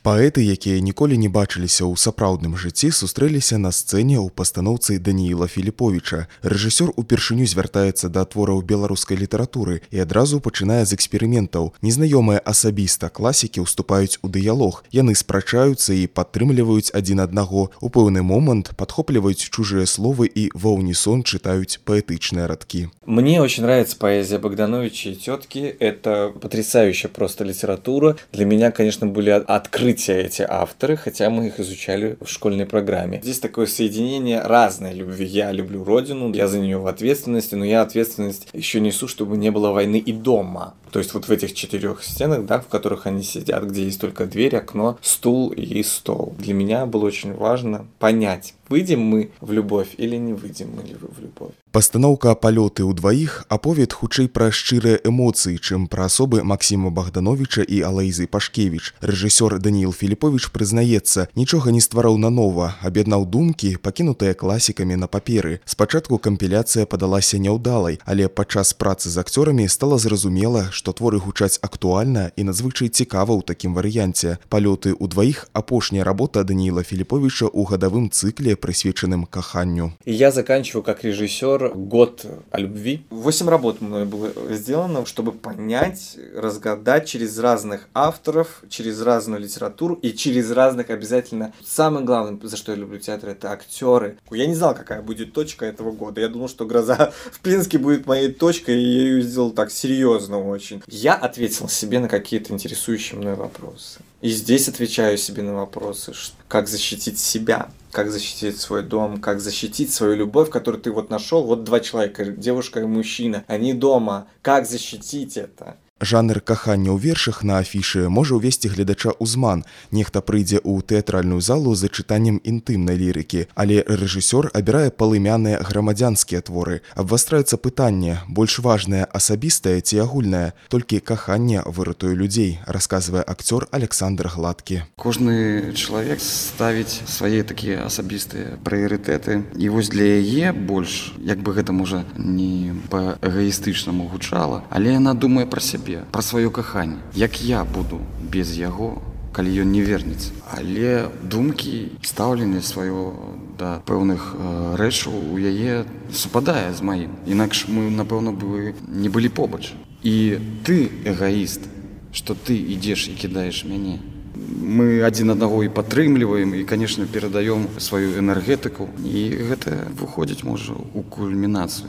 Паэты, якія ніколі не бачыліся ў сапраўдным жыцці, сустрэліся на сцэне ў пастаноўцы Данііла Філіповіча. Рэжысёр упершыню звяртаецца да твораў беларускай літаратуры і адразу пачынае з эксперыментаў. Незнаёмыя асабіста класікі ўступаюць у дыялог. Яны спрачаюцца і падтрымліваюць адзін аднаго. У пэўны момант падхопліваюць чужыя словы і ва ўнісон чытаюць паэтычныя радкі. Мне очень нравится поэзия Богдановича и тетки. Это потрясающая просто литература. Для меня, конечно, были открытия эти авторы, хотя мы их изучали в школьной программе. Здесь такое соединение разной любви. Я люблю родину, я за нее в ответственности, но я ответственность еще несу, чтобы не было войны и дома. То есть вот в этих 4 стенах, да, в которых они сидят, где есть только дверь, окно, стул и стол. Для меня было очень важно понять, выйдем мы в любовь или не выйдем мы в любовь. Пастаноўка «Палёты ўдваіх» аповед хутчэй пра шчырыя эмоцыі, чым пра асобы Максіма Богдановича і Алаізы Пашкевіч. Рэжысёр Данііл Філіповіч прызнаецца, нічога не ствараў нанова, аб'яднаў думкі, пакінутыя класікамі на паперы. Спачатку кампіляцыя падалася няўдалай, але падчас працы з акцёрамі стала зразумела, што творы гучаць актуальна і надзвычай цікава ў такім варыянце. «Палёты ўдваіх» – апошняя работа Данііла Філіповіча ў гадавым цыкле, присвяченным каханню. И я заканчиваю как режиссер год о любви. 8 работ мной было сделано, чтобы понять, разгадать через разных авторов, через разную литературу и через разных обязательно. Самое главное, за что я люблю театр, это актеры. Я не знал, какая будет точка этого года. Я думал, что «Гроза в Пинске» будет моей точкой, и я ее сделал так серьезно очень. Я ответил себе на какие-то интересующие мной вопросы. И здесь отвечаю себе на вопросы, как защитить себя, как защитить свой дом, как защитить свою любовь, которую ты вот нашел. Вот 2 человека, девушка и мужчина, они дома. Как защитить это? Жанр кахання ў вершах на афішы можа ўвесці гледача ў зман. Нехта прыйдзе ў тэатральную залу за чытаннем інтымнай лірыкі, але рэжысёр абірае палымяныя грамадзянскія творы. Абвастраецца пытанне, больш важнае асабістае ці агульнае, толькі каханне выратуе людзей, расказвае акцёр Александр Гладкі. Кожны чалавек ставіць свае такія асабістыя прыярытэты, і вось для яе больш, як бы гэта можа не па-эгоістычнаму гучала, але яна думае пра сябе, пра сваё каханне, як я буду без яго, калі ён не вернецца. Але думкі, стаўленне сваё да пэўных рэчаў у яе супадае з маім. Інакш мы, напэўна, бы не былі побач. І ты эгоіст, што ты ідзеш і кідаеш мяне. Мы адзін аднаго і падтрымліваем, і, канешне, перадаём сваю энергетыку, і гэта выходзіць, можа, у кульмінацыю.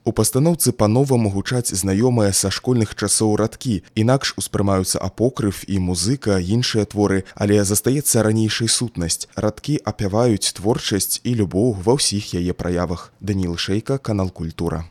У пастаноўцы па-новаму гучаць знаёмыя са школьных часоў радкі, інакш успрымаюцца апокрыф і музыка, іншыя творы, але застаецца ранейшай сутнасць. Радкі апяваюць творчасць і любоў ва ўсіх яе праявах. Даніл Шэйка, канал Культура.